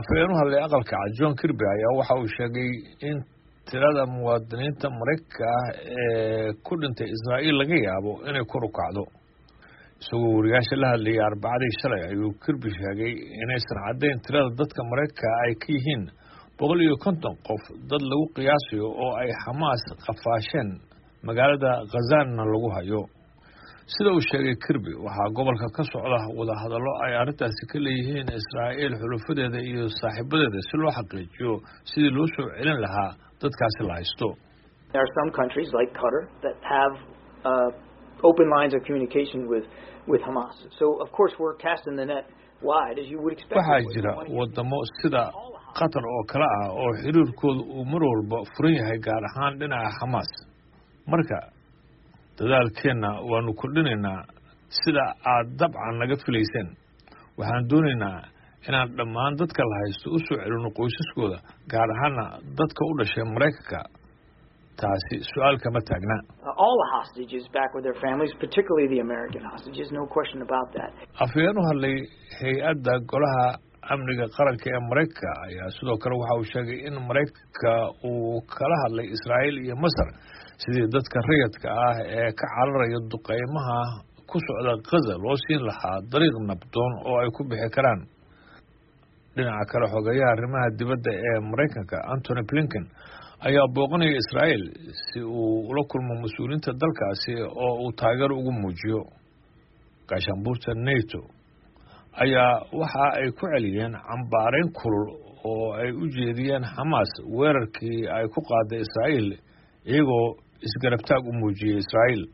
Afhayeen u hadlay Aqalka Cad, John Kirby, ayaa waxa uu sheegay in tirada muwaadiniinta Maraykanka ah ee ku dhintay Israa'iil laga yaabo inay kor u kacdo. Isagoo wariyaasha la hadlayay Arbacadii shalay ayuu Kirby sheegay inaysan caddayn tirada dadka Maraykanka ay ka yihiin 150 qof dad lagu qiyaasayo oo ay Xamaas qafaasheen, magaalada Khazana lagu hayo. Sida uu sheegay Kirby, waxaa gobolka ka socda wadahadallo ay arrintaasi ka leeyihiin Israa'iil, xulufadeeda iyo saaxiibadeeda si loo xaqiijiyo sidii loo soo celin lahaa dadkaasi la haysto. There are some countries like Qatar that have open lines of communication with Hamas. So of course we're casting the net wide, as you would expect. Waxaa jira wadamo sida Qatar oo kale ah oo xiriirkooda uu mar walba furan yahay, gaar ahaan dhinaca Xamaas. Marka dadaalkeenna waanu kordhinaynaa, sida aad dabcan naga filayseen. Waxaan doonaynaa inaan dhammaan dadka la haysto u soo celino qoysaskooda, gaar ahaana dadka u dhashay Maraykanka. Taasi su-aal kama taagna. All the hostages back with their families, particularly the American hostages, no question about that. Afhayeen u hadlay hay-adda Golaha Amniga Qaranka ee Maraykanka ayaa sidoo kale waxa uu sheegay in Maraykanka uu kala hadlay Israa'iil iyo Masar sidii dadka rayadka ah ee ka cararaya duqeymaha ku socda Gaza loo siin lahaa dariiq nabdoon oo ay ku bixi karaan. Dhinaca kale, xogeyaha arrimaha dibadda ee Maraykanka, Antony Blinken, ayaa booqanaya Israa'iil si uu ula kulmo mas-uuliyiinta dalkaasi oo uu taageero ugu muujiyo. Gaashaanbuurta NATO ayaa waxa ay ku celiyeen cambaareyn kulul oo ay u jeediyeen Xamaas weerarkii ay ku qaaday Israa'iil, iyagoo isgarabtaag u muujiyey Israa'iil.